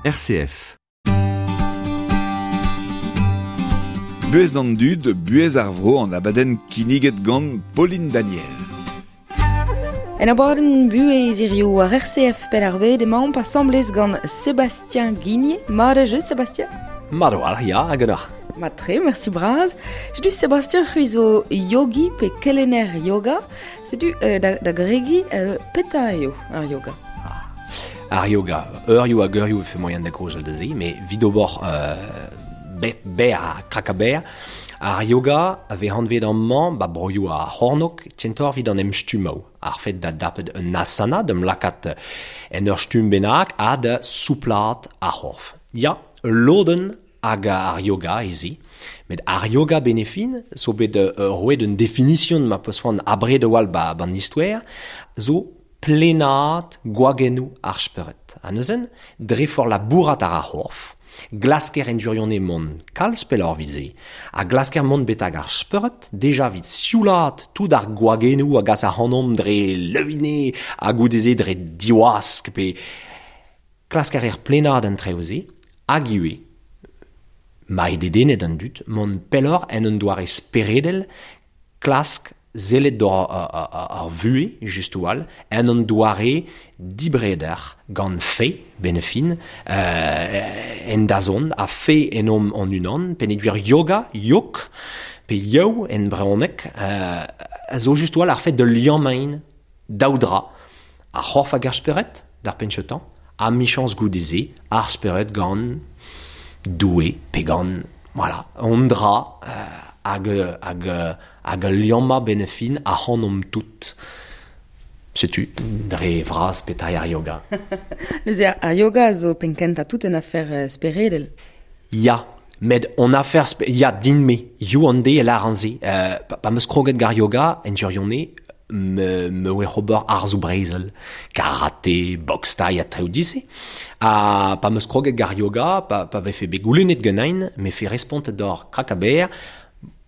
RCF. Buhez an dud, buhez ar vro an abadenn kinniget gant Pauline Daniel. En abadenn buhez hiziv war RCF Penn-ar-Bed emaomp asambles gant Sébastien Guigné. Mat a jeu, Sébastien? Mat a-walc'h, ya, hag ganeoc'h. Mat-tre, merci bras. Setu Sébastien c'hwi zo yogi pe kelenner yoga. Setu euh, da, da gregiñ, euh, petra eo ar yoga? Ar yoga, eurioù hag eurioù e fe moaien da gaozeal da se, met evit ober berr ha krakaberr, ar yoga a vez anvet amañ ba broioù ar c'hornôg kentoc'h evit an emstummoù, ar fed da dapet un asana, d'em lakaat en ur stumm bennak ha da souplaat ar c'horf. Ya, ul lodenn hag ar yoga ez eo. Met ar yoga benefin zo bet roet un definition ma peus c'hoant abred a-walc'h ba an istoer, zo Plenaat gwagennoù ar spered. Ha neuze, dre forzh labourat àr ar c'horf, glasker en gwirionez mont kalz pelloc'h evit se, ha glasker mont betek ar spered, deja evit sioulaat tout ar gwagennoù a gas ac'hanomp dre leuine ha goude-se dre diwask pe klask a reer plenaat an traoù-se, hag ivez, ma eo dedennet an dud, mont pelloc'h en un doare speredel, klask sellet doc'h ar vuhez just a-walc'h en un doare dibreder gant fae benn-fin en dazont ha fae ennomp hon-unan peogwir yoga, yog pe yow en brezhoneg a zo just a-walc'h ar fed da liammañ daou dra, ar c'horf hag ar spered d'ar penn-kentañ ha 'michañs goude-se ar spered gant Doue pe gant voilà, un dra hag hag hag ul liammañ benn-fin ac'hanomp tout. Setu dre vras petra eo ar yoga. Neuze ar yoga zo penn-kentañ tout un afer speredel. Ya, met on afer ya din-me, hiziv an deiz e lâran se. Pa 'm eus kroget gant ar yoga en gwirionez, me, me oa ober arzoù brezel, karate, box thaï ha traoù dise. Ha pa 'm eus kroget gant ar yoga, pa, pa vefe bet goulennet ganin, me fe respontet d'or krakaber,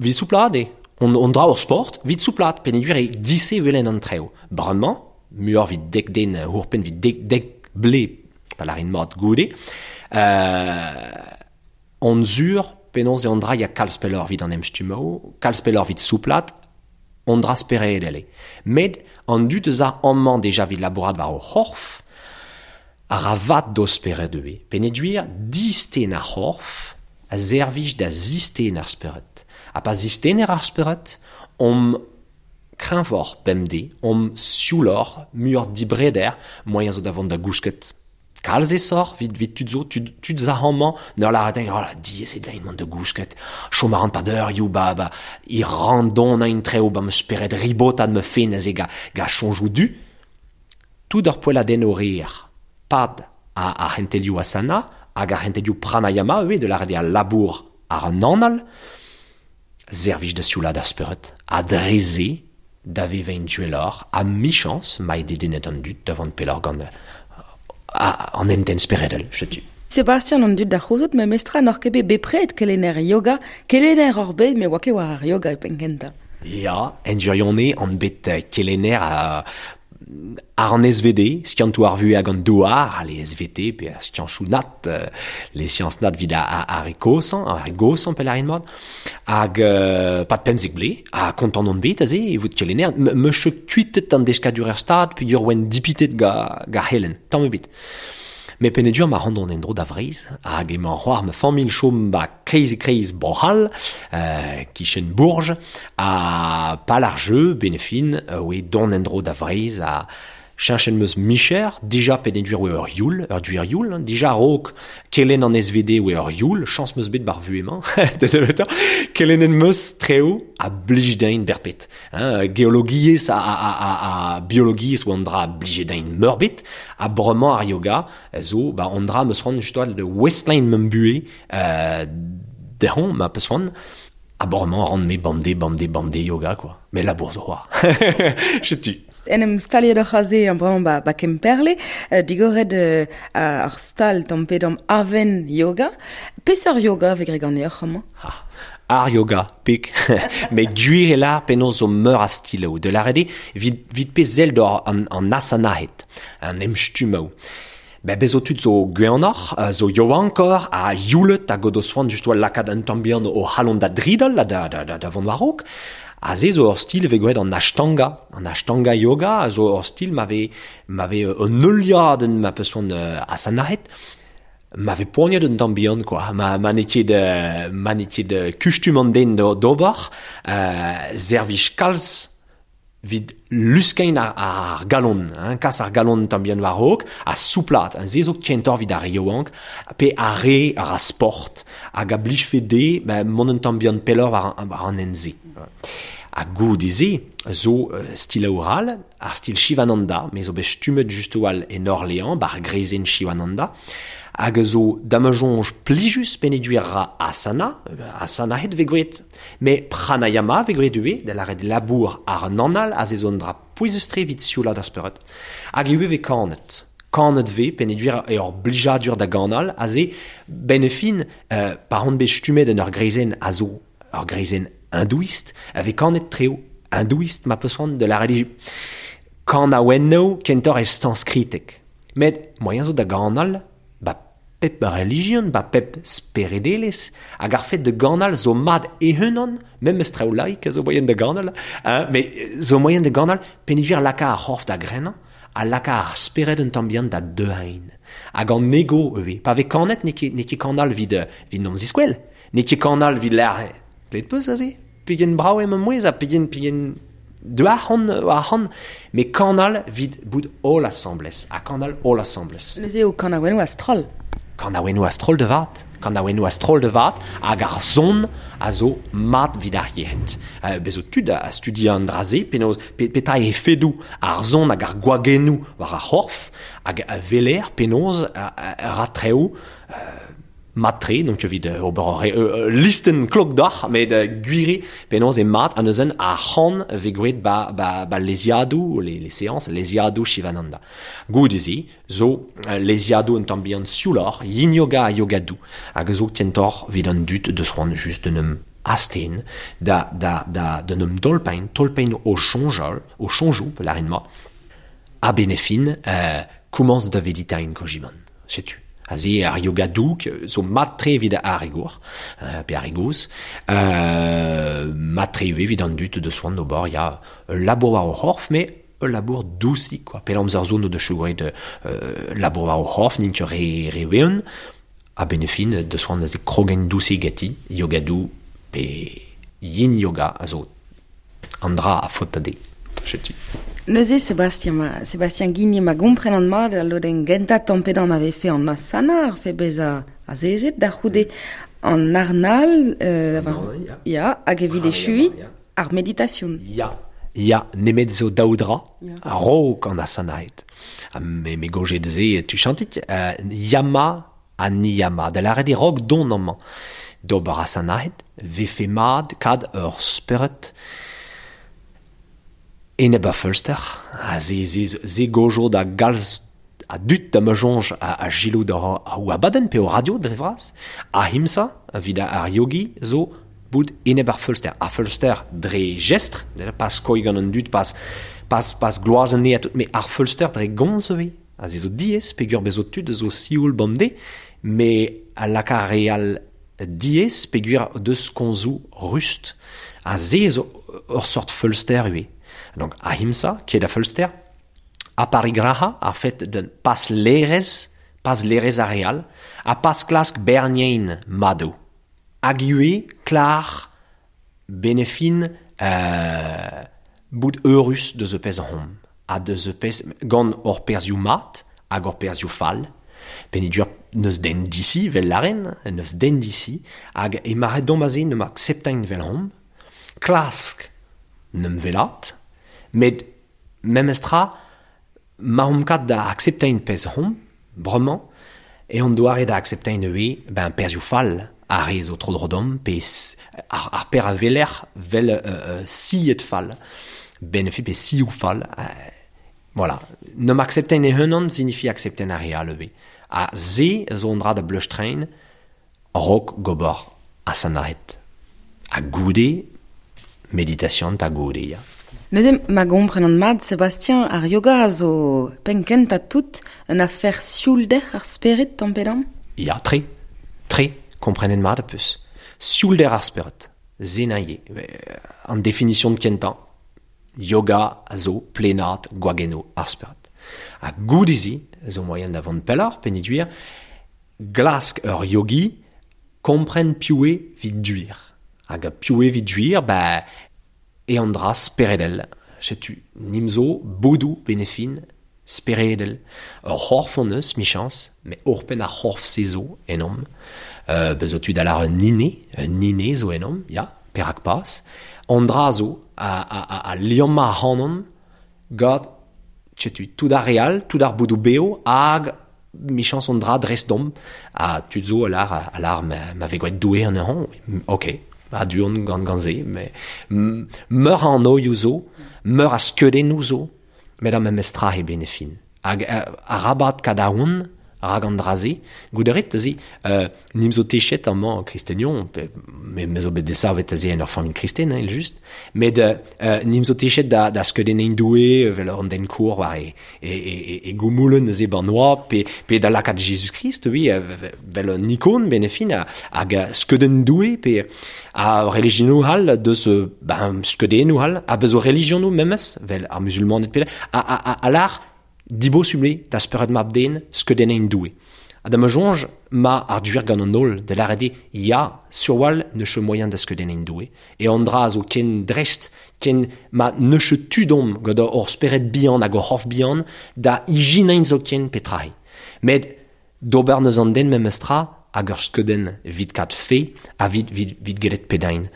'vit souplaat eo. On, on dra ur sport, 'vit souplaat, peogwir e giz-se 'welen an traoù. Bremañ, muioc'h 'vit dek den ouzhpenn 'vit dek, dek ble, pa lârin mat goude, on sur penaos eo an dra ya kalz pelloc'h 'vit an emstummoù, kalz pelloc'h 'vit souplaat, on dra speredel eo. Met an dud eus a amañ deja 'vit labourat war o c'horf a ra vat d'o spered ivez. Peogwir distenn ar c'horf a servij da zistenn ar spered. Ha pa zistenner ar spered omp kreñvoc'h bemdez, omp siouloc'h, muioc'h dibreder, moaien zo da vont da gousket. Kalz aesoc'h 'vit 'vit tud zo, tud tud 'za amañ 'n ur lâret dezhañ oh là diaes eo din mont da gousket, chom a ran 'pad eurioù ba ba e randonañ traoù 'ba ma spered ribotat ma fenn aze ga ga soñjoù du. Tout ar poelladennoù reer 'pad ar c'hentelioù asana hag ar c'hentelioù pranayama ivez da lâret eo al labour àr an anal, servij da sioulaat ar spered ha dre-se da vevañ gwelloc'h ha 'michañs ma eo dedennet an dud da vont pelloc'h gant an hentenn speredel, setu. Sebastian an dud da c'houzout memestra n'oc'h ket bet bepred kelenner yoga, kelenner oc'h bet met oa ket war ar yoga e penn-kentañ. Ya, en gwirionez on bet kelenner Ar an SVD, skiantoù ar vuhez hag an douar, les SVT pe ar skianchoù nat, les sciences nat evit ar re kozhañ, ar re goshañ pell mat. Hag pad pemzek vloaz, ha kontant on bet aze e vout kelenner, 'meus ket kuitet an deskadur er stad peogwir oan dipitet ga ga c'helenn, tamm ebet. Met peogwir ma ran dont en-dro da Vreizh, hag emañ c'hoar ma familh chom ba kreiz-e-kreiz Bro-C'hall, kichen Bourges, ha pal ar jeu, benefin, oe dont en-dro da Vreizh ha cheñchet 'm eus micher, dija peogwir oe ur youl, ur gwir youl, hein, dija a-raok kelenn an SVD oe ur youl, chañs 'm eus bet 'bar vuhez-mañ, kelennet 'm eus traoù a blij din berped. Hein, geologiezh ha, ha, ha, ha biologiezh oa an dra a blije din meurbet, ha bremañ ar yoga zo ba an dra 'm eus c'hoant just da ouestlañ ma buhez dezhañ ma peus c'hoant. Ha bremañ a ran-me bemdez, bemdez, bemdez yoga quoi. Mais labour zo c'hoazh. Setu. En em staliet oc'h aze bremañ ba, ba Kemperle, digoret ar stal tamm pe damm Aven Yoga. Peseurt yoga vez graet ganeoc'h amañ? Ah, ar yoga, pik. Met gwir eo lâr penaos zo meur a stiloù. Da lâret eo, evit, evit pezh sell d'an, an asanahed, an emstummoù. Ben bezo tud zo gweanoc'h, zo yoankor, a youlet hag o do soan just oa lakaat un tamm bihan o c'halon da dridal da vont war-raok. A ze zo ur stil ve gwet an ashtanga yoga, a zo ur stil ma ve un euliadenn ma peus soan asanahet, ma ve poaniet un tamm bihan, quoi. Ma n'eo ket kustum an den d'ober, servij kalz vid luskein ar galon, hein, kas ar galon tamm bihan war-raok, a souplat, hein, se zo kentor vid ar yaouank, pe ar re ar a sport, hag a blijfe de, ben, mont un tamm bihan pelloc'h war an en-se. Ha goude-se zo stil aoral, ar stil Shivananda, me zo bet stummet just oal en Orléans, bar greizenn Shivananda, hag zo damajonj plijus peneduir ra asana, asana het ve gwet, me pranayama ve gwet ue, da lâret labour ar an anal, a ze zo an dra pouezus-tre evit sioulad ar spered. Hag ue ve kanet. Kanet ve, peneduir e ur blijadur da ganal, a ze benefin, par an bet stummet en ur greizenn a zo ur greizenn hindouiste, avec kanet treo hindouiste ma peus de la religion. Kanaouenno kentor e sanskritek. Met moyen zo da ganal, ba pep religion, ba pep speredelez, hag ar fet de ganal zo mad ehunan, même eus traoù laik a zo moyen de ganal, hein, mais zo moyen de ganal penivir laka ar c'horf da grenañ, ha laka ar spered un tamm bihan da deuhain. Hag an ego eo, pa vez kanet n'eo ket kanal vid nom ziskwel, n'eo ket kanal vid l'ar. Klet peus aze? Pegen brav eo ma mouezh ha pegen duar c'hant, me kanal vid bout holl asambles, ha kanal holl asambles. Neuze eo kanaouennoù a-stroll. Kanaouennoù a-stroll de vat, kanaouennoù a-stroll de vat, hag ar son a zo mat vid ar yec'hed. Bezo tud a studia an dra-se, penaos petra e efedoù ar son hag ar gwagennoù war ar c'horf, hag a veler penaos ra treo mat-tre, donc evit ober ur listen klok doc'h, met gwiri penaos e mat an neuzen ar c'han ve gwet ba leziadoù, les séances, leziadoù Shivananda. Goude-se, zo leziadoù un tamm bihan siouloc'h, yin yoga ha yogadou, hag zo kentor evit an dud deus c'hoant just d'un em asten, da d'un em tolpein o soñjal, o soñjoù, pe lârin ma, a benefin, komañs da veditain kojiman, setu. Aze ar yoga douk zo mat-tre evit ar rigour, pe ar rigoz, mat-tre evit an dud de soan d'ober, ya ul labour war o c'horf, mais ul labour dousik, quoi. Pel amzer zo no de chougret labour war o c'horf, n'int ket re weun, a benefin de soan aze krogen dousik gati, yoga dou pe yin yoga a zo an dra a faot de. Setu. Neuze, Sébastien Guigné ma gompren an mat, a lodenn gentañ tamm-pedan ma vefe an asana, ar fe bezañ azezet, da c'houde an arnal, ya, hag evit echui, ar meditation. Ya, nemet zo daou dra, a-raok an asanaet. Ha me gojet ze tu chantik, yama ha niyama, da lâret e raok don amañ. D'ober asanaet, vefe mat kad ur spered enep a feulster, a ze gojo da galz a dut da ma soñj a gilo da a abadenn pe o radio dre vras, a himsa, evit ar yogi, zo bout enep ar feulster. Ar feulster dre jestr, pas koi gant an dud, pas gloazen ne, me ar feulster dre gomz eo. A ze zo diaes, peogwir bezo tud zo sioul bemdez, me a laka ar re all diaes, peogwir deus komzoù rust. A ze zo ur sort feulster eo. Donc, ahimsa, qui est da feulster, aparigraha, ar fet de pas lerez areal, a pas klask bernien mado. Hag ivez, klar, benefin, bout eurus deus e pezh hom. Ha deus e pezh gant ur perzhioù mat hag ur perzhioù fall. Penedur neus den disi, vel laren, neus den disi, hag e maret dom aze ne ma akseptain vel hom, klask n'em velat, met memestra ma hom kat da akseptain pezh hom, bremañ, e an doare da akseptain eo, ben perzhioù fall, ar re zo tro dro-dom, pe ar per a veler vel siet fall, benefi pe sioù fall. Voilà. Ne m'akseptain e unan signifie akseptain ar re all eo. Ha se zo an dra da bleustrein rok gober asanahet. Ha goude, meditation ta goude, ya. Neuze ma gompren mat, Sébastien, ar yoga a zo penkent a tout un affaire sioulder ar spered tampedam? Ya, tre, tre, komprenen mat a peus. Sioulder ar spered, zenaie, an definition de kentañ, yoga a zo plenat gwageno ar spered. Ha goudizi, zo moyen da vont pelloc'h, peniduir, glask ur yogi kompren piv vid duir. Hag piv vid duir, ba, e an dra speredel. Setu nimzo boudou benefin speredel. Ur c'horf on eus, michans, mais orpen ar c'horf se zo enom. Bezo tu da un ine zo enom, ya, perak pas. An dra zo a liamma hanon gant, setu, tout ar real, tout ar boudou beo, hag michans an dra dres dom, a tud zo alar ma ve gwaet doue an ur, ok. A duon gant gant se, mais meur an oioù zo, meur a skeudennoù zo, met am mestra he benefin. Hag arabat kadaoun, rag an draze, gouderet ze, nim zo techet amañ kristenion, me zo bet desavet aze en ur familh kristen, hein, just, met nim zo techet da skeudennein doue, vel an den kour war e goumoulen aze ban oa, pe da lakaat Jesus Christ, oui, vel un ikon benefin, hag skeuden doue, pe a religionou hal, deus ben, skeudennou hal, a bezo religionou memes, vel ar musulmanet pe, a lar, dibo suble da spered mab den skeudennein doue. Ha da ma jonge ma ar duer gant an holl, de l'arede ya surwal ne che moyen da skeudennein doue. E an dra zo ken drest, ken ma ne che tudom gant ur spered bihan hag ur c'horf bihan da ijinein zo ken petrahi. Met d'ober neus an den memestra hag ur skeuden vid kat fe ha vid gelet pedain.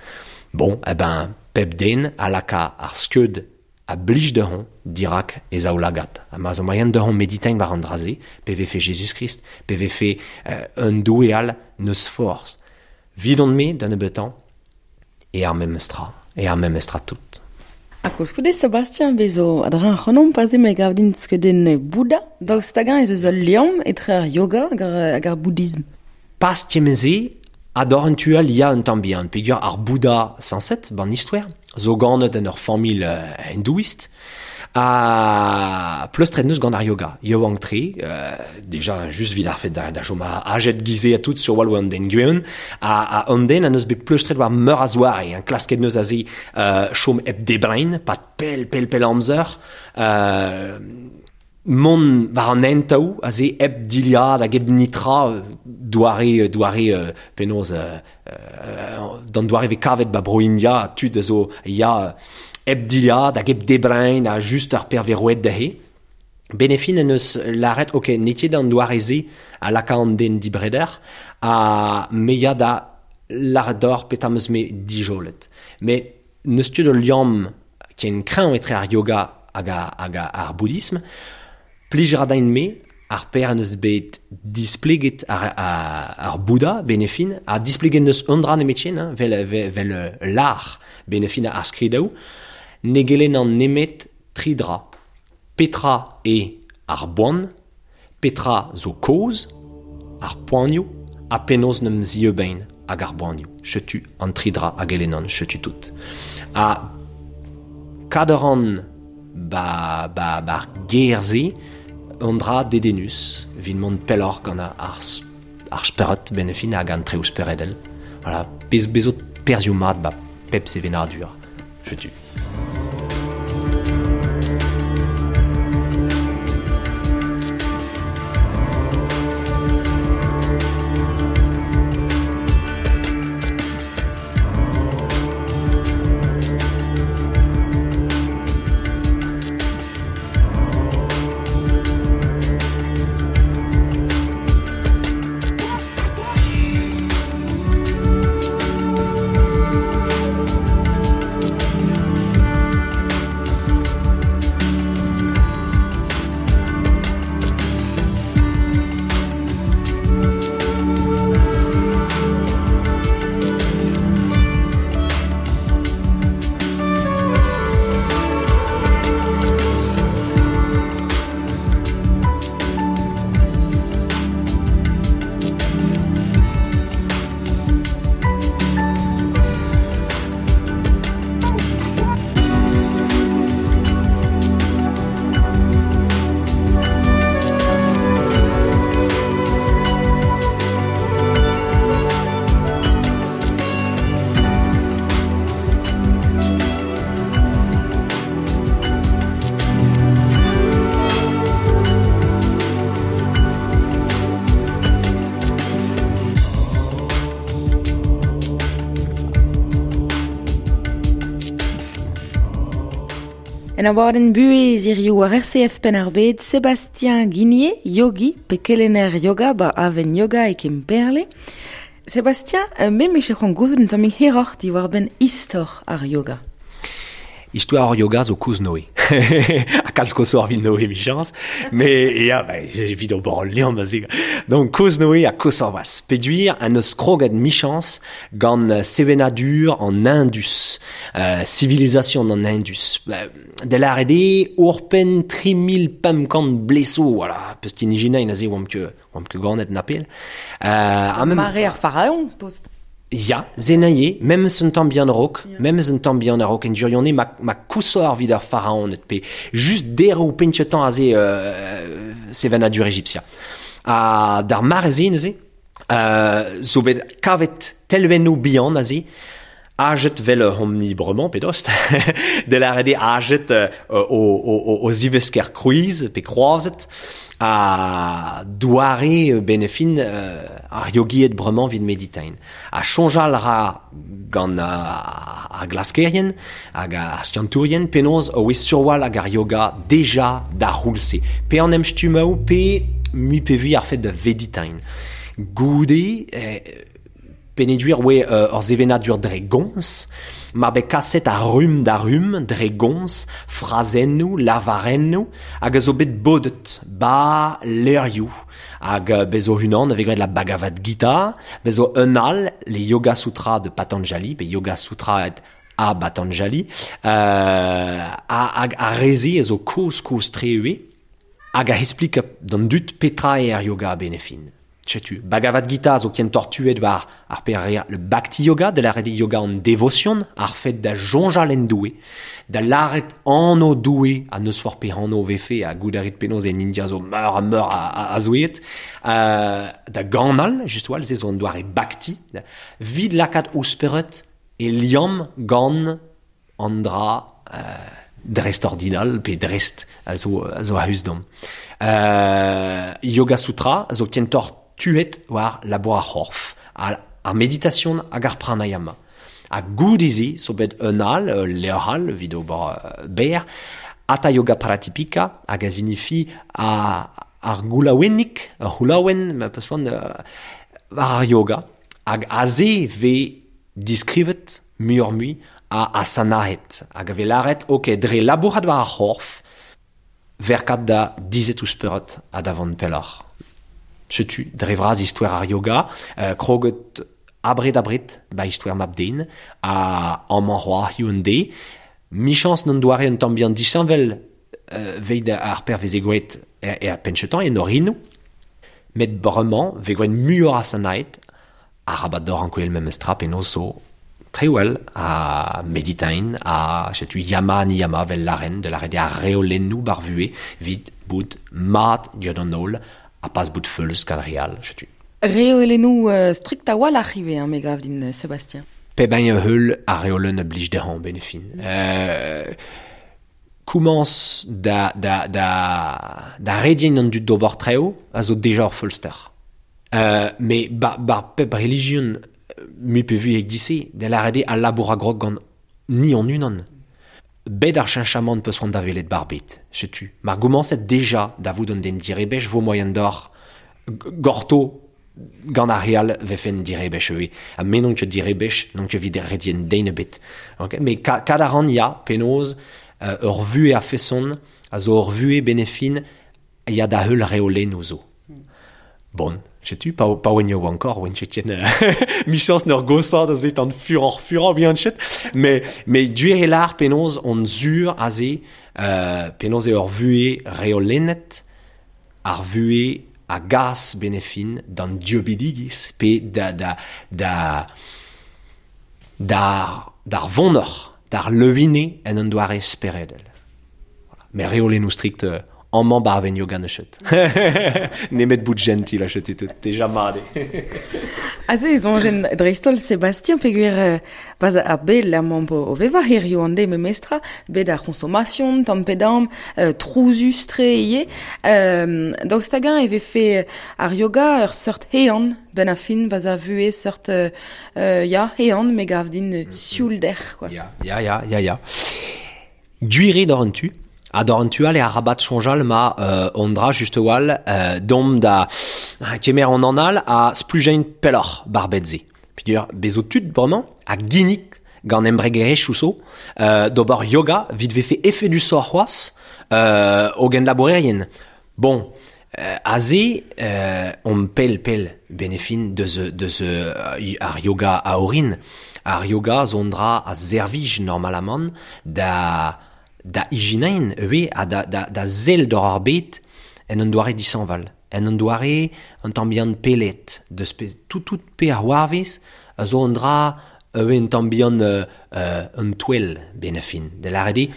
Bon, eh ben, pep den a laka ar skeud a blij dehon dirak e zaoulagat. Ha ma zo moyen dehon meditain war an draze, pe vefe Jesus Christ, pe vefe un doue all neus forz. Vidon me, da nebetan, e ar memestra tout. Ha koulskoude, Sébastien, bezo adran c'honom paze me gav din skeudenn Bouddha, daoust hag-eñ ez eus ul liamm etre ar yoga hag ar bouddhisme. Pas tiemeze, ador un tual ya un tamm bihan, peogwir ar Bouddha sañset, ban istoer, zo ganet en ur familh hindouist, a pleustret neus gant ar yoga, yoang tre, déjà just vid ar fet da chom a ajet gize a tout sur wal an den gweun, a an den a neus bet pleustret war meur a zoare, hein, klasket neus a ze chom hep debrein, pat pel amzer, mont war an hentaou a ze hep diliad hag hep nitra doare penaos d'an doare ve kavet ba bro India tud a zo ya hep diliad hag hep debrein a just ar perveroet dezhe. Benefin en eus laret, ok, n'eo ket an doare ze a laka an den dibreder a me ya da laret d'or petra 'm eus me dijolet. Met n'eus ket ul liamm ken kreñv etre ar yoga hag ar bouddhisme. Plij ra dain me, ar per an eus bet displeget ar Bouddha, benefin, a displeget neus un dra nemetien, hein, vel l'ar, benefin ar skridaou, ne gelen an nemet tri dra. Petra e ar boan, petra zo koz, ar poanioù, ha penaos n'em zieubein hag ar boanioù. Chetu an tri dra a gelenan, chetu tout. A kaderan ba gerze an dra dedenus vin mont pelloc'h gant ar spered benefin hag an treoù speredel. Voilà, bezo perzhioù mat ba pep sevenadur. Chetu. En abadenn buhez hiziv war RCF Penn-ar-Bed, Sébastien Guinier, yogi pe kelenner yoga ba Aven Yoga e Kemperle. Sébastien, me 'mije c'hoant gouzout un tammig hiroc'h diwar-benn istor ar yoga. Istoar ar yoga zo kozh-Noe. Ha kalz koshoc'h evit Noe, emichañs. Me, ya, ba, evit ober ul liamm aze. Donc, kozh-Noe ha koshoc'h c'hoazh. Peogwir en deus kroget michañs gant sevenadur an Indus, civilisation an Indus. Da lâret eo ouzhpenn 3500 blez zo, voilà, peus ijinañ aze oamp ket oamp ket ganet na pell. Ha memes Mare ar faraon, tost. Ya, se neuze, memes un tamm bihan a-raok, memes un tamm bihan a-raok en gwirionez ma, ma kousoc'h evit ar faraoned pe just deroù penn-kentañ aze sevenadur Ejiptia. Ha d'ar mare-se neuze, zo bet kavet telvennoù bihan aze, ajet 'vel hom-ni bremañ pe dost, da lâret eo ajet o zivesker krouiz pe kroazet, ha doare benefin ar yogied bremañ evit meditain. Ha soñjal a ra gant ar glaskerien hag ar skiantourien penaos oe surwal hag ar yoga deja d'ar c'houlz-se. Pe an emstummoù pe mui pe vui ar fed da veditain. Goude, Peogwir oe ur sevenadur dre gomz, mar bet kaset a rumm da rumm dre gomz, frazennoù, lavarennoù, hag a zo bet bodet 'ba levrioù. Hag bez zo unan a vez graet la Bhagavad Gita, bez zo un all, les Yoga Sutra de Patanjali, pe Yoga Sutra a Patanjali, hag ar re-se a zo kozh-kozh-tre ivez, hag a esplika d'an dud petra eo ar yoga a-benn e fin. Setu, Bhagavad Gita zo kentoc'h tuet war ar pezh a reer le Bhakti Yoga, da lâret eo yoga an devosion, ar fed da soñjal en Doue, da lâret anv Doue, ha n'eus forzh pe anv 'vefe, ha goût a rit penaos en India zo meur ha meur a zoueed, da ganal, just a-walc'h, se zo an doare Bhakti, 'vit lakaat ho spered e liamm gant an dra dreist-ordinal pe dreist a zo, a zo a-us deomp. Yoga Sutra a zo kentoc'h tuet war labour ar c'horf, ar meditation hag ar pranayama. Ha goude-se zo bet un all, ul levr all evit ober berr, Hatha Yoga Pradipika, hag a zinifi ar goulaouennig, ur c'houlaouenn, ma peus c'hoant, war ar yoga. Hag aze 'vez diskrivet muioc'h-mui a asanaet hag a vez lâret ok dre labourat war ar c'horf verkat da dizhet ouzh spered ha da vont pelloc'h. Setu dre vras istoer ar yoga, kroget abred-abred 'ba istoer mab-den ha amañ c'hoazh hiziv an deiz. Michañs n'on doare un tamm bihan disheñvel 'veit ar perzh 'veze graet er penn-kentañ en orinoù. Met bremañ 'vez graet muioc'h asanaet Arabat deoc'h ankouaet memes tra penaos zo trewel ha meditain ha setu yama niyama 'vel lâren da lâret eo ar reolennoù 'bar vuhez 'vit bout mat diouzh an holl ha pas bout feuls gant ar re all setu. Reolennoù strikt a-walc'h ivez, hein, me gav din, Sébastien. Pep hini a heul ar reolenn a blij dezhañ 'benn e fin. Komañs da, da, da, da rediñ an dud d'ober traoù a zo deja ur feulster. Me ba pep relijion mui pe vui e-giz-se, da lâret eo al labour a grog gant ni hon-unan. Bet ar cheñchamant 'peus c'hoant da welet 'bar bed, setu. Mar gomañset deja da vout un den direbech 'vo moaien deoc'h gorto gant ar re all 'vefen direbech ivez. Ha me n'on ket direbech, n'on ket evit rediñ den ebet. Ok, met kad a ran ya, penaos ur vuhez a-feson a zo ur vuhez benefin ya da heul reolennoù zo. Bon, setu, pa, pa oen yaouankoc'h, oen ket ken michañs n'ur goshañ da se tan furoc'h-furañ bihan chet, mais, mais gwir eo lâr penaos on sur aze, penaos eo ur vuhez reolennet, ar vuhez a gas benefin d'an dieubidigezh pe da, da, da, d'ar, d'ar vonoc'h, d'ar leuine en un doare speredel. Voilà. Mais reolennoù strikt amañ 'ba ar yoga neus Nemet bout gentil a chetu tout, deja mat eo. Aze e soñjen dreist-holl Sébastien peogwir pas ar bed amañ o vevañ hiziv an deiz memestra, bet ar c'hoñsomasion tamm pe damm, trouzus-tre ivez. Daoust hag-eñ e vefe ar yoga ur seurt ehan 'benn ar fin 'ba ar vuhez seurt ya ehan me gav din sioulder quoi. Ya, ya, ya, ya, ya. Gwire d'or an tu, ha d'or an tu all e arabat soñjal ma on dra just wal dom da kemer an anal a splujein pelloc'h bar bet-se. Peogwir bezo tud bremañ a ginnig gant embregerezhioù zo d'ober yoga vit vefe efedusoc'h c'hoazh o genlabourerien. Bon, aze on pell pell benefin deus deus ar yoga a orin. Ar yoga zo un dra a servij normalamant da da ijinain ivez ha da da da sell doc'h ar bed en un doare dishañval. En un doare un tamm bihan pellet deus pezh tout tout pe ar c'hoarvez a zo un dra ivez un tamm bihan un touell benn ar fin. Da lâret eo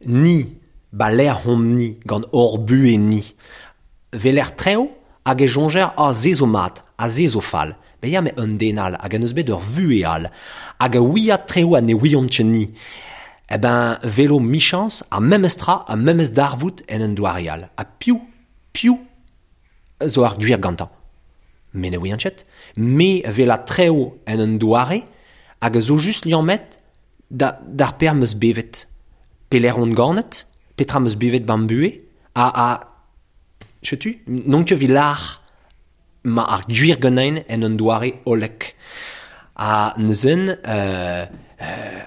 ni ba lec'h omp-ni gant hor buhez-ni. Weler traoù hag e soñjer ah se zo mat ha se zo fall. Bet ya met un den all hag en deus bet ur vuhez all hag a ouia traoù ha ne ouiomp ket ni. Eh ben velo michañs ar memes tra ar memes darvoud en un doare all. Ha piv piv zo ar gwir gantañ? Me ne ouian ket. Me wela traoù en un doare hag a zo just liammet da d'ar pezh am eus bevet. Pelec'h on ganet, petra am eus bevet ba'm buhez ha ha setu n'on ket evit lâr ma ar gwir ganin en un doare hollek. Ha neuzen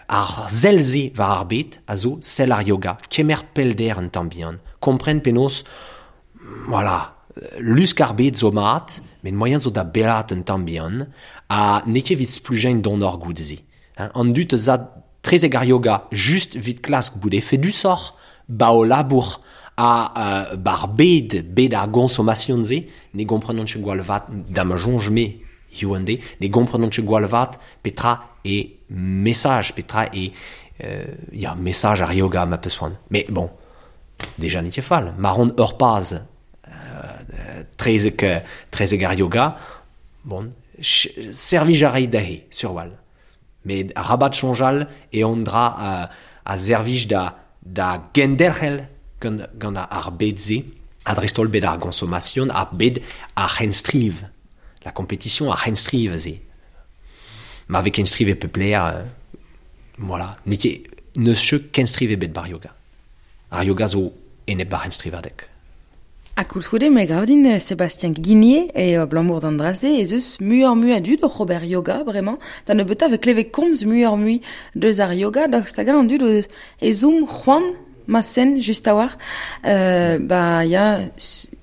ar sell-se war ar bed a zo sell ar yoga. Kemer pellder un tamm bihan. Kompren penaos, voilà, lusk ar bed zo mat, met moaien zo da bellaat un tamm bihan, ha n'eo ket evit splujañ donoc'h goude-se. An dud a za trezek ar yoga just evit klask bout efedusoc'h ba o labour ha ba'r bed, bed ar goñsomasion-se, ne gomprenont ket gwall vat, da ma soñj-me hiziv an deiz, ne gomprenont ket gwall vat petra eo mesaj, petra eo ya, mesaj ar yoga ma peus c'hoant. Mais bon, deja n'eo ket fall. Ma ran ur paz trezek, trezek ar yoga, bon, servij a ray dezhe, sur-walc'h. Met arabat soñjal eo an dra a servij da da genderc'hel gant gant ar bed-se, ha dreist-holl bed ar goñsomasion, ar bed ar c'henstriv, la compétition ar c'henstriv aze. Ma vez kenstriv e pep lec'h, voilà, n'eo ket n'eus ket kenstriv ebet bar yoga. Ar yoga zo enep ar c'henstrivadeg. Ha koulskoude, me gav din, Sébastien Guinier, eo abalamour d'an dra-se ez eus muioc'h-mui a dud oc'h ober yoga bremañ. Da nebeutañ e vez klevet komz muioc'h-mui deus ar yoga, daoust hag-eñ an dud o deus ezhomm c'hoant ma sen just a-walc'h ba ya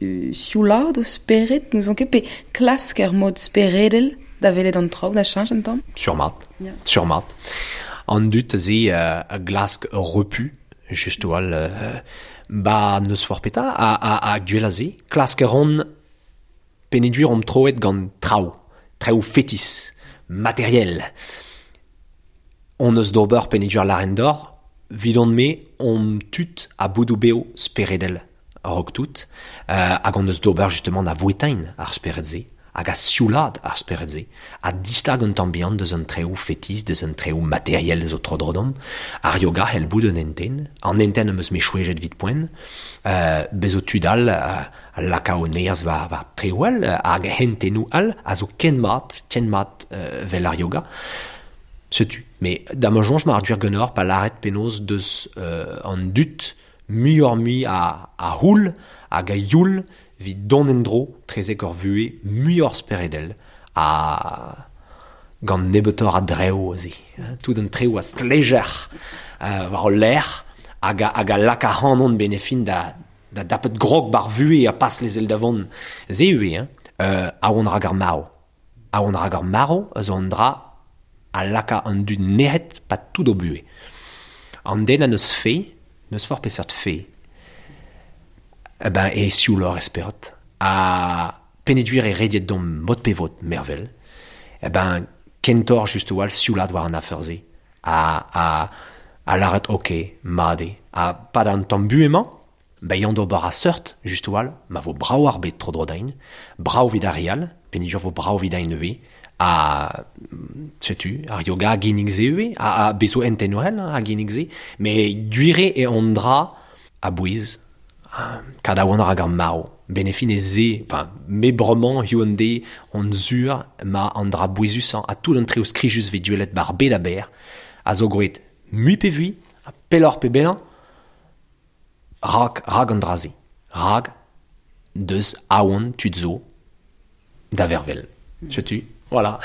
sioulaat o spered, n'ouzon ket, pe klask ur mod speredel da welet an traoù da cheñch un tamm. Sur-mat, sur-mat. An dud aze a glask ur repu, just a-walc'h ba n'eus forzh petra ha gwell a se klask a ran peogwir omp troet gant traoù, traoù fetis, materiel. On eus d'ober peogwir lâren deoc'h, 'vidon-me omp tud ha boudoù bev speredel a-raok tout, hag on eus d'ober justement da vouetain ar spered-se hag a sioulaat ar spered-se, ha distag un tamm bihan deus an traoù fetis, deus an traoù materiel zo tro-dro deomp. Ar yoga c'hell bout un hentenn, an hentenn am eus me chwejet evit poent, bez zo tud all a laka o nerzh war war traoù all, hag hentennoù all a zo ken mat, ken mat 'vel ar yoga. Setu, met da ma soñj ma ar gwir ganeoc'h pa lâret penaos deus an dud muioc'h-mui a c'houl hag a youl evit dont en-dro trezek ur vuhez muioc'h speredel ha gant nebeutoc'h a drev aze. Tout an trev a stlejer war ul lec'h hag a, hag a lak ac'hanon benn e fin da, da dapet grog bar vuhez ha pas lezel da vont. Se ivez, hein, aon rak ar marv. Aon rak ar marv a zo an dra a laka an dud nec'het pa tout o buhez. An den a neus fe, n'eus forzh peseurt fe, eh ben e siouloc'h e spered. Ha peogwir e rediet deomp mod pe vod mervel, eh ben kentoc'h just a-walc'h sioulaat war an afer-se ha, ha, ha lâret ok, mat eo. Ha pad an tamm buhez-mañ, Bezañ d'ober a seurt, just a-walc'h, ma vo brav ar bed tro-dro din, brav evit ar re all, peogwir vo brav evit din ivez, ha setu, ar yoga a ginnig se ivez, ha bez zo hentennoù all a ginnig se, met gwir eo an dra a-bouez, kad a oan rak ar marv. 'Benn e fin e se, enfin, me bremañ hiziv an deiz on sur ma an dra bouezusañ ha tout an traoù skrijus 'vez gwelet 'ba 'r bed a-berr a zo groet mui pe vui, ha pelloc'h pe bellañ. Rag an draze. Rag deus aon tud zo da vervel. Setu, voilà.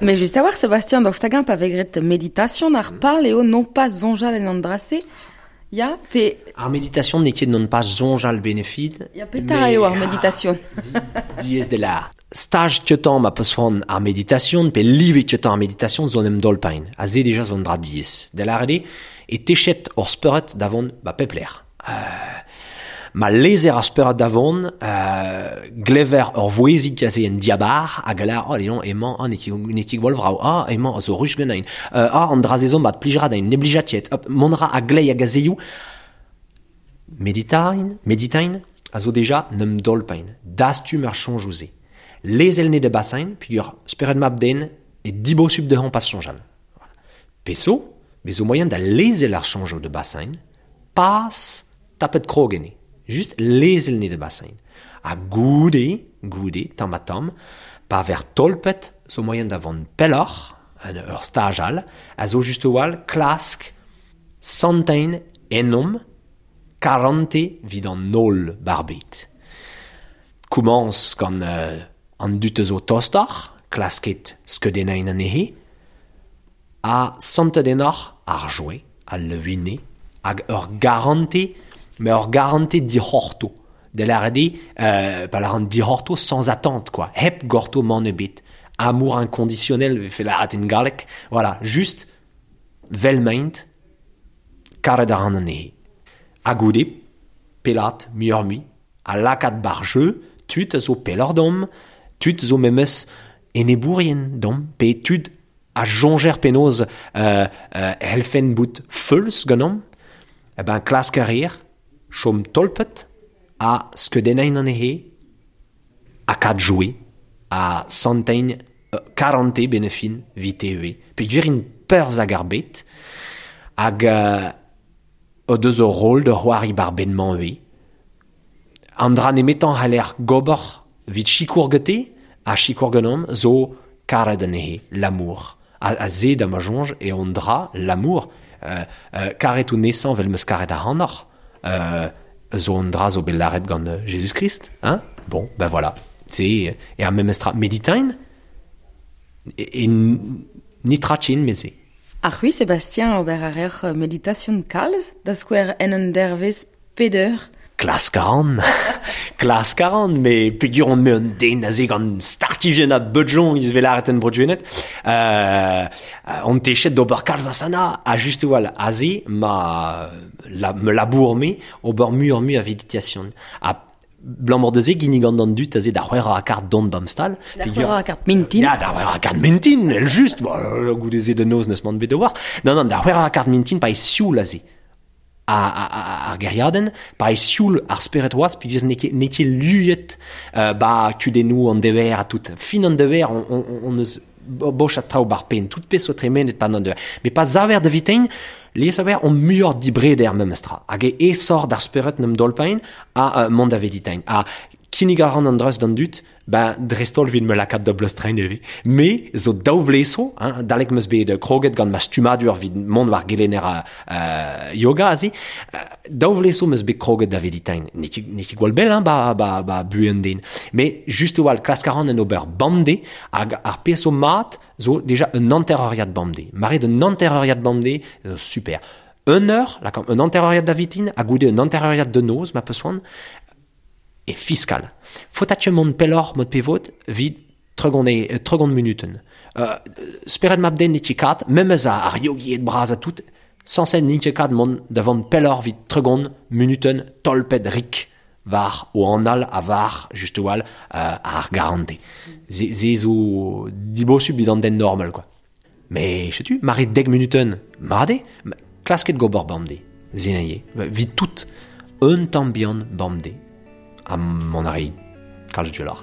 Mais juste à voir, Sébastien, donc stagin pa vegret méditation ar pal eo non pas zonjal en an drase, ya pe... Ar méditation n'eo ket non pas zonjal benefid. Ya petra eo ar méditation. Diez de la. Stage tiotan ma peus c'hoant ar méditation, pe live tiotan ar méditation zo en em dolpain. A ze deja zo an dra diez. De la rede, e techet ur speuret davon ba pepler. Ma lezer ar speuret davon, glever ur vouezig a ze en diabar, hag a lar, oh, léon, emañ, ah, n'eo ket gwall vrao, ah, emañ, zo rus ganin, ah, an dra ze zo mat plijra da ne blija tiet, hop, mont ra a glei hag a zeioù. Meditain, a zo deja n'em dolpain, dastum ar soñjoù ze. Lezel ne de basain, pugur speret mab den, e dibosub dehon pas soñjal. Voilà. Peso, bezo moyen da lezel ar soñjoù de basain, pas tapet krog enne. Just lezel ne de basain. Ha goude, tamm ha tamm, pa ver tolpet, zo moyen da vont pelloc'h, en ur staj all, a zo just oal klask santein enom karante vid an nol barbet. Koumans gant an dut zo tostar, klasket skeudennain anezhe, a santet enoc'h ar joe, a levine, hag ur garante, mais ur garante dic'horto. De la rede, pa la ran dic'horto sans attente, quoi. Hep gorto man ebet. Amour inconditionnel, fait la in galek. Voilà, juste, vel maint, karet a ran anezhe. Ha goude, pelat, muioc'h mui, a lakaat bar jeu, tud a zo pelloc'h dom, tud zo memes enebourien dom, pe tud a joñjer penaos helfen bout feuls ganeomp, e ben klask a rir, chom tolpet, a skeudennain anezhe, a kad joe, a santein karante benefin vite eo. Pe gwir in peurz hag ar bet, hag o deus ur rôle de c'hoari bar ben-mañ eo. An dra nemetañ c'haller gober vit sikour gete, a sikour ganeomp zo karet anezhe, l'amour. A ze da ma soñj e an dra, l'amour, karet o nesañ vel meus karet ac'hanoc'h, zo an dra zo bet laret gant Jésus-Christ, hein? Bon, ben voilà. C'est e ar memes tra meditain e nitrachin meze. Ar c'hwi, Sébastien, ober a reoc'h meditation kalz, da skouer en un dervez peder. Klask a ran. Klask a ran, me pegur on me un den a ze gant startijen a beudjon iz vel en brodjuenet. On techet d'ober kalz asana, a just oal a ze ma la, me labour me ober muioc'h mui a meditation. A blamor de ze gini gant an dut a ze da c'hwec'h a kart don bamstal. Da c'hwec'h a kart mintin. Ya, da c'hwec'h a kart mintin, el just. Bon, goude ze de noz neus man bet da war. Non, da c'hwec'h a kart mintin pa e sioul a ze. Ar geriadenn, pa e sioul ar speret oaz, peogwir n'eo ket luiet ba kudennoù an dever a tout. Fin an dever, on eus boch a traoù bar pen, tout pezh zo tremenet pan an dever. Mais pa zaver da vitein, lies a ver on muioc'h dibreder memes tra. Hag e esor d'ar speret n'em dolpain a mont da veditein. A kinnig a ran an dreuz d'an dut, ben dreist-holl evit me lakaat da bleustrein eve. Me zo daou vleso, hein, dalek meus bet kroget gant ma stummadur evit mont war gelenner yoga aze, daou vleso meus bet kroget da veditein. N'eo ket gwall bell, hein, ba buhe an den. Mais just oal klask a ran en ober bamde, hag ar pezh zo mat zo deja un hanter-euriad bamde. Maret un hanter-euriad bamde, zo super. Un eur, lakaomp un hanter-euriad da vitin, ha goude un hanter-euriad de noz, ma peus c'hoant, e fiskal. Faotat mont pelloc'h mod pevot vid tregont minuten. Speret mab den n'eo ket kat, memes ar yogied bras a tout, sañset n'int ket kat mont da vont pelloc'h vid tregont minuten tolpet rik war o anal a war just oal ar garante. Ze zo dibosub vid an den normal, quoi. Mais, setu, mare dek minuten, made, klasket gober bamde, zenaie, vid tout un tamm bihan bamde. A mon ari kalz dueloc'h.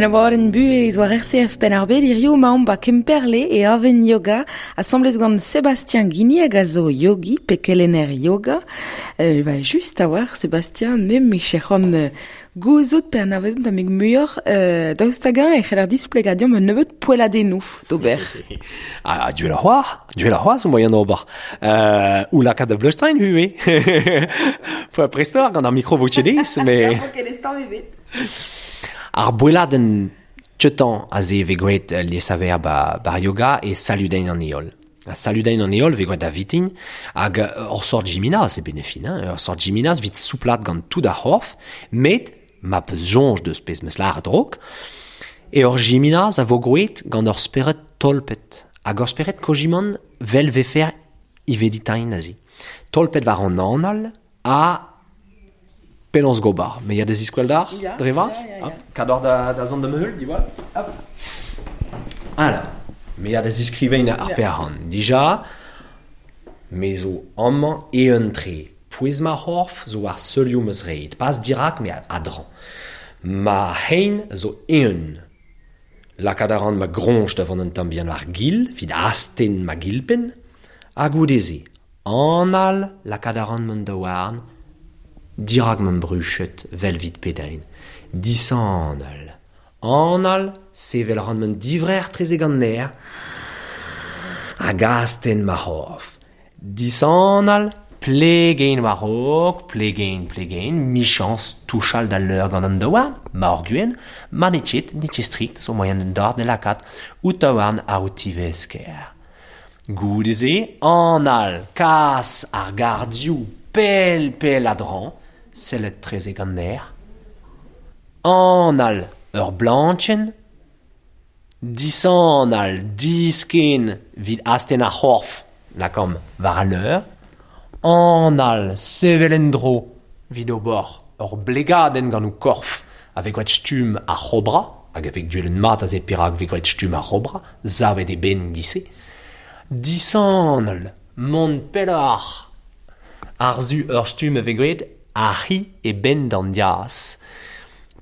En abadenn buhez war RCF Penn-ar-Bed hirio 'maomp ba Kemperle e Aven Yoga asambles gant Sébastien Guigny hag a zo yogi pe kelenner yoga. Ba just a-walc'h Sébastien, me 'mije c'hoant gouzout pe anavezout tammig muioc'h daoust hag-eñ e c'heller displegañ deomp un nebeud poelladennoù d'ober. Ah, duel ar c'hoar, duel ar c'hoar zo moaien d'ober. Ou lakaat da bleustriñ ivez. Prestoc'h gant ar mikro vo ket mais... Ar boelladenn teutañ aze e vez graet liesaver ba, bar yoga e saludein an heol. Ha saludein an heol vez graet da vitin hag ur sort gymnase e benefin, hein, ur sort gymnase vit souplat gant tout ar c'horf, met ma peus soñj deus pezh 'meus lâret raok, e ur gymnase a vo graet gant ur spered tolpet. Hag ur spered kojimant 'vel vefer iveditain aze. Tolpet war an anal ha penaos gober. Me ya da ziskouel d'ar, dre vras. Hop, kador da, da zont da heul, diwall. Hop. Alors, me ya da ziskrivein ar perc'han. Dija, me zo amañ eeun-tre. Pouez ma c'horf zo war seulioù ma zreid. Pas dirak, met a-dreñv. Ma c'hein zo eeun. Lakaat a ran ma groñj da vont un tamm bihan war gil, evit astenn ma gilpenn. Ha goude-se, anal lakaat a ran man daouarn dirak man bruched 'vel 'vit pedein. Dishanal. Anal, sevel a ran man divrec'h 'trezek an nec'h hag astenn ma c'horf. Dishanal, plegein war-raok, plegein, plegein, 'michañs touchal d'al leur gant an daouarn, ma hor gwenn, ma n'eo ket, n'eo ket strikt, zo moaien d'an dor da lakaat ho taouarn àr ho tivesker. Goude-se, anal, kas ar gardioù pell pell a-dreñv, sellet 'trezek an nec'h. Anal, ur blañchenn. Disanal, disken 'vit astenn ar c'horf, lakaomp war al leur. Anal, sevel en-dro 'vit ober ur blegadenn gant ho korf a vez graet stumm ar c'hobra, hag a vez gwelet mat aze perak 'vez graet stumm ar c'hobra, savet e benn giz-se. Dishanal, mont pelloc'h àr-zu ur stumm a vez graet ar c'hi e benn d'an diaz.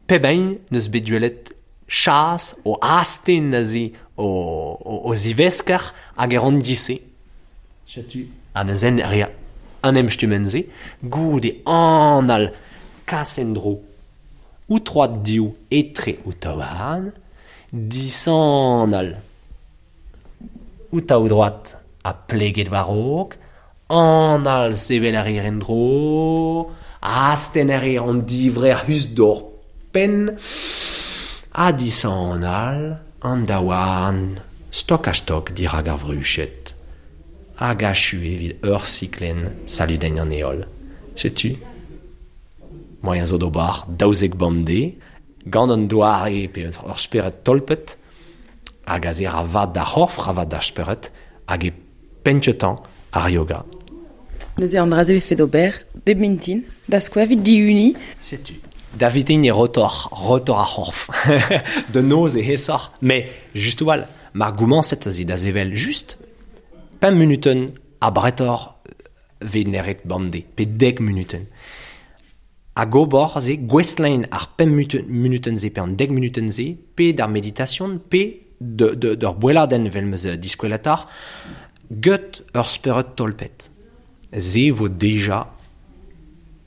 Pep hini 'neus bet gwelet chas o astenn aze o zivesker hag e ran giz-se. Setu ha neuze rea an emstummenn-se goude anal kas en-dro ho troad div etre ho taouarn, dishanal ho taoudroad ha pleget war-raok, anal sevel a reer en-dro, astenn a reer an divrec'h us d'hor penn, ha dishanal an daouarn stok-ha-stok dirak ar vruched. Hag achu evit ur siklenn saludenn an heol. Setu moaien zo d'ober 12 bemdez, gant an doare pe ur spered tolpet, hag aze ra vat d'ar c'horf, ra vat d'ar spered, hag e penn-kentañ ar yoga. Neuze an dra-se 'vefe d'ober bep mintin, da skouer evit dihuniñ. Setu. Da vitin e rotor, rotor ar c'horf. Da noz e aesoc'h, met just a-walc'h, mar gomañset aze da sevel just pemp munutenn abretoc'h 'vez neret bemdez, pe dek munutenn. Hag ober aze, gouestlañ ar pemp munutenn-se pe an dek munutenn-se, pe d'ar meditasion, pe d'ur boelladenn evel 'm eus diskweletoc'h, get ur spered tolpet. Se vo deja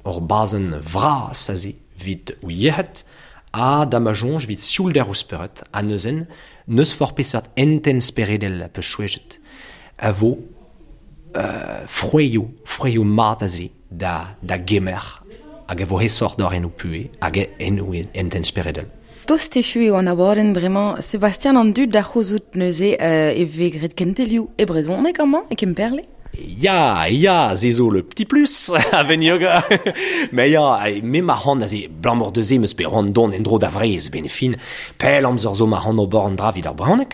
ur bazenn vras aze 'vit ho yec'hed ha da ma soñj 'vit sioulder ho spered ha neuze n'eus forzh peseurt hentenn speredel peus chouezhet a vo frouezhioù, frouezhioù mat aze da, da gemer hag a vo aesoc'h d'hor en ho puhez hag en ho hentenn speredel. Tost echu eo an abadenn bremañ. Sebastian an dud da c'houzout neuze e vez graet kentelioù e brezhoneg amañ e Kemperle? Ya, ya, se zo le petit plus a-benn yoga. Mais ya, me ma c'hoant aze, 'balamour da se 'm eus bet c'hoant dont en-dro da Vreizh 'benn fin. Pell amzer zo ma c'hoant ober an dra evit ar brezhoneg.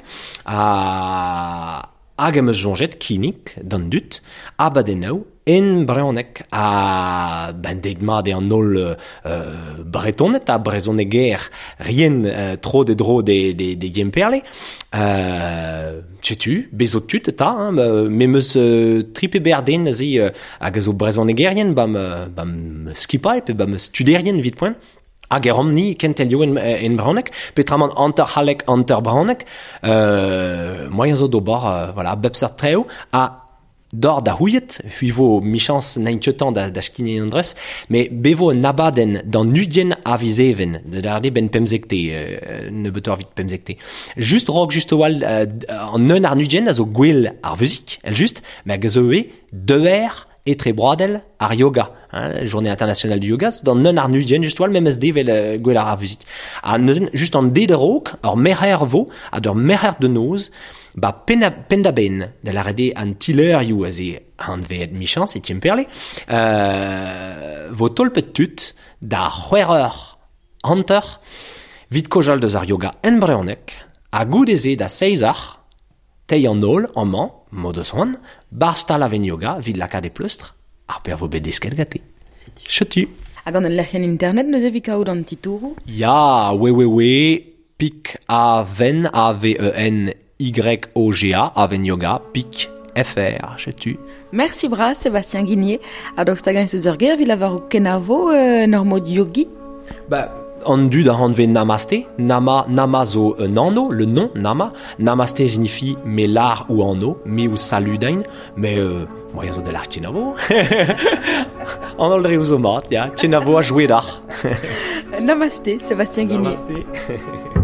Ha hag em eus soñjet kinnig d'an dud abadennoù en brezhoneg. Ha ben deit mat eo an holl Bretoned ha brezhoneger rien tro de dro de, de, de Gemperle. Setu, bez zo tud eta, hein, me 'm eus tri pe ber den aze hag a zo brezhonegerien ba'm ba'm skipailh pe ba'm studerien evit poent. Hag e rom ni kentelioù en brezhoneg, peotramant hanter c'halleg, hanter brezhoneg, moaien zo d'ober, voilà, bep seurt traoù, ha dor da c'houiet, hui vo michans n'ein ket tamm da skignañ an dres, met be vo un abadenn d'an 20 a viz Even, da lâret eo 'benn pemzekte, nebeutoc'h evit pemzekte. Just raok just a-walc'h an un ar 20 a zo gwell ar vuzik, èl-just, met hag a zo ivez deuer etrebroadel ar yoga, hein, journée internationale du yoga, d'an un ar 20 just a-walc'h memes de vel gwell ar vuzik. Ha neuzen, just an de raok, ur merc'her vo, ha d'ur merc'her de noz, ba penn-da-benn, da lâret eo an tileurioù aze anveet michañs e Kemperle, vo tolpet tud da c'hwec'h eur hanter 'vit kaozeal deus ar yoga en brezhoneg, ha goude-se da seizh eur, teiñ an holl amañ, m'o deus c'hoant, 'barzh stal Aven Yoga 'vit lakaat e pleustr ar pezh a vo bet desket gante. Setu. Hag gant ul lec'hienn internet neuze 'vit kaout an titouroù? Ya, www pik aven, A V E N Y O G A, Aven Yoga, pik FR, setu. Mersi bras Sébastien Guinier, ha daoust hag-eñ ez eus ur ger evit lavarout kenavo en ur mod yogi? Ba, an dud a anvez namaste. Nama, nama zo un anv, le nom, nama. Namaste signifie me lar ou anv, me ou saludain, mais moaien zo da lar kenavo. An holl dreoù zo mat, ya. Kenavo ha jouet d'ac'h. Namaste, Sébastien Guinier. Namaste.